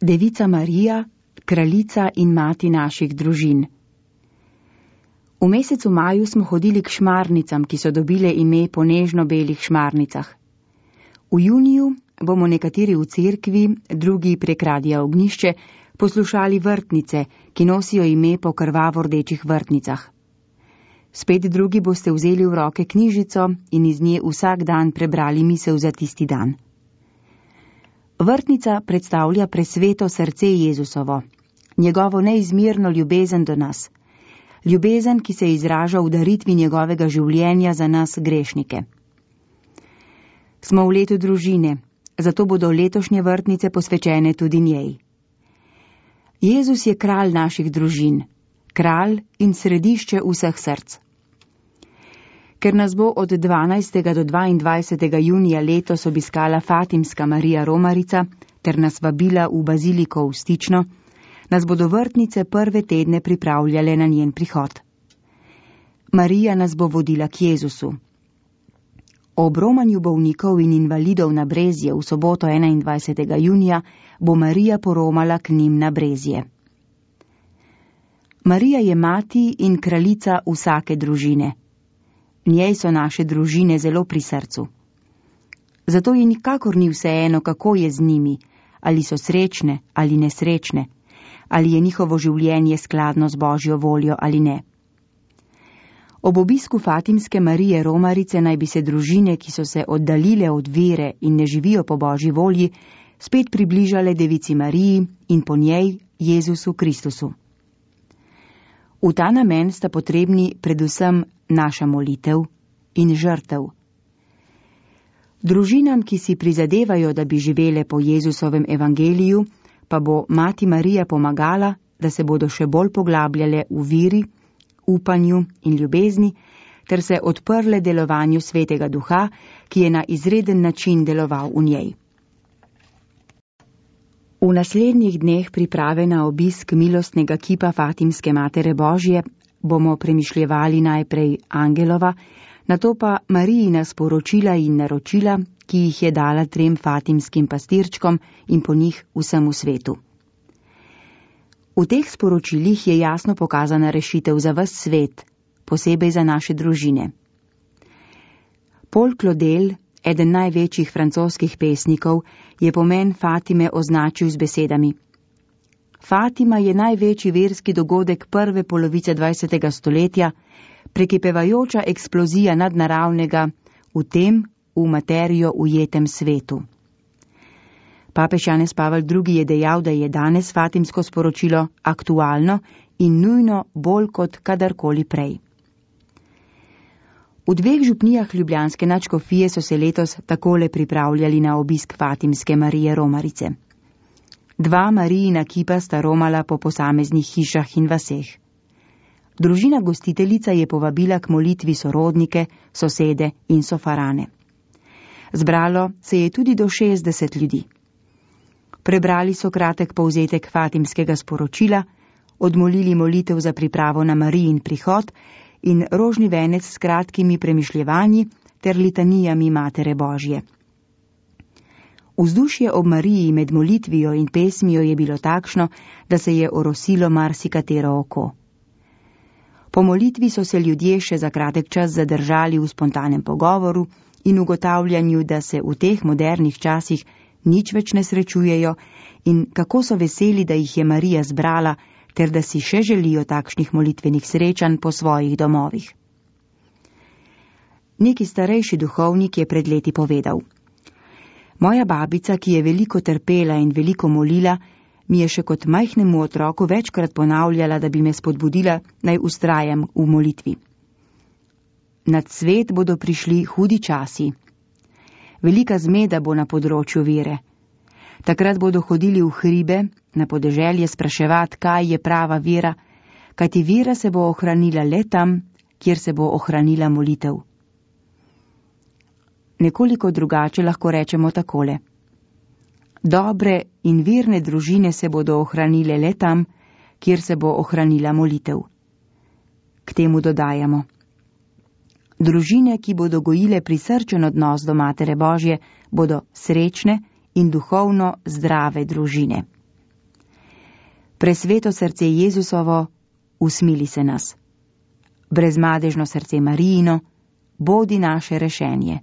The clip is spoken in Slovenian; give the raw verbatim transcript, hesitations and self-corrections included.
Devica Marija, kraljica in mati naših družin. V mesecu maju smo hodili k šmarnicam, ki so dobile ime po nežno-belih šmarnicah. V juniju bomo nekateri v cerkvi, drugi prek radia Ognjišče, poslušali vrtnice, ki nosijo ime po krvavo-rdečih vrtnicah. Spet drugi boste vzeli v roke knjižico in iz nje vsak dan prebrali misel za tisti dan. Vrtnica predstavlja presveto srce Jezusovo, njegovo neizmerno ljubezen do nas, ljubezen, ki se izraža v daritvi njegovega življenja za nas grešnike. Smo v letu družine, zato bodo letošnje vrtnice posvečene tudi njej. Jezus je kralj naših družin, kralj in središče vseh src. Ker nas bo od dvanajstega do dvaindvajsetega junija letos obiskala Fatimska Marija Romarica ter nas vabila v baziliko v Stično, nas bodo vrtnice prve tedne pripravljale na njen prihod. Marija nas bo vodila k Jezusu. Ob romanju bolnikov in invalidov na Brezje v soboto enaindvajsetega junija bo Marija poromala k njim na Brezje. Marija je mati in kraljica vsake družine. Njej so naše družine zelo pri srcu. Zato ji nikakor ni vseeno, kako je z njimi, ali so srečne ali nesrečne, ali je njihovo življenje skladno z Božjo voljo ali ne. Ob obisku Fatimske Marije Romarice naj bi se družine, ki so se oddaljile od vere in ne živijo po Božji volji, spet približale Devici Mariji in po njej Jezusu Kristusu. V ta namen sta potrebni predvsem naša molitev in žrtev. Družinam, ki si prizadevajo, da bi živele po Jezusovem evangeliju, pa bo Mati Marija pomagala, da se bodo še bolj poglabljale v viri, upanju in ljubezni, ter se odprle delovanju Svetega Duha, ki je na izreden način deloval v njej. V naslednjih dneh priprave na obisk milostnega kipa Fatimske Matere Božje bomo premišljevali najprej Angelova, nato pa Marijina sporočila in naročila, ki jih je dala trem fatimskim pastirčkom in po njih vsemu svetu. V teh sporočilih je jasno pokazana rešitev za ves svet, posebej za naše družine. Paul Claudel, eden največjih francoskih pesnikov, je pomen Fatime označil z besedami: Fatima je največji verski dogodek prve polovice dvajsetega stoletja, prekipevajoča eksplozija nadnaravnega v tem, v materijo ujetem svetu. Papež Janez Pavel drugi. Je dejal, da je danes fatimsko sporočilo aktualno in nujno bolj kot kadarkoli prej. V dveh župnijah ljubljanske nadškofije so se letos takole pripravljali na obisk Fatimske Marije Romarice. Dva Marijina kipa sta romala po posameznih hišah in vaseh. Družina gostiteljica je povabila k molitvi sorodnike, sosede in sofarane. Zbralo se je tudi do šestdeset ljudi. Prebrali so kratek povzetek fatimskega sporočila, odmolili molitev za pripravo na Marijin prihod in rožni venec s kratkimi premišljevanji ter litanijami Matere Božje. Vzdušje ob Mariji med molitvijo in pesmijo je bilo takšno, da se je orosilo marsikatero oko. Po molitvi so se ljudje še za kratek čas zadržali v spontanem pogovoru in ugotavljanju, da se v teh modernih časih nič več ne srečujejo in kako so veseli, da jih je Marija zbrala, ter da si še želijo takšnih molitvenih srečanj po svojih domovih. Neki starejši duhovnik je pred leti povedal: Moja babica, ki je veliko trpela in veliko molila, mi je še kot majhnemu otroku večkrat ponavljala, da bi me spodbudila, naj vztrajam v molitvi. Nad svet bodo prišli hudi časi. Velika zmeda bo na področju vere. Takrat bodo hodili v hribe, na podeželje spraševati, kaj je prava vera, kajti vera se bo ohranila le tam, kjer se bo ohranila molitev. Nekoliko drugače lahko rečemo takole: dobre in verne družine se bodo ohranile le tam, kjer se bo ohranila molitev. K temu dodajamo: družine, ki bodo gojile prisrčen odnos do Matere Božje, bodo srečne in duhovno zdrave družine. Presveto srce Jezusovo, usmili se nas. Brezmadežno srce Marijino, bodi naše rešenje.